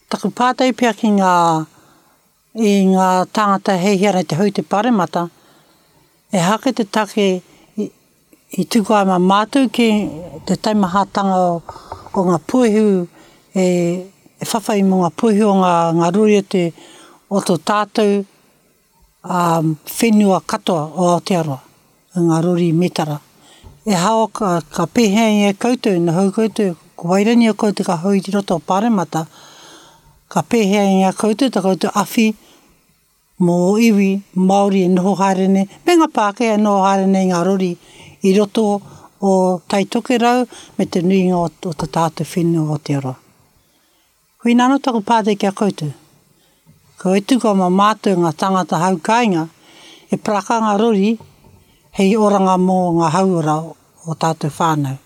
Taku pātai pea ki ngā, i ngā tāngata e hiahia ana i te hou te paremata, ehake te take i, i tukua ai mā mātou ki te taimahatanga o, o ngā puehu e, e whawhai mō ngā puehu o ngā, ngā rori o te, o tō tātou ā, whenua katoa o Aotearoa, i ngā rori mētara. E hao ka, ka pēhea i a koutou, ina hou koutou, ko wairani o koutou ka hou i roto o Pāremata, ka pēhea i a koutou ta koutou awhi mō iwi Māori e noho haere nei, me ngā Pākehā e noho haere nei i ngā rori i roto o Tai Tokerau me te nuinga o, o ta tātou whenua o Aotearoa. Koina anō taku pātai ki a koutou. Ko e tuku ama mātou ngā tāngata hau kāinga e paraka ngā rori hei oranga mō ngā hauora o tātou whānau.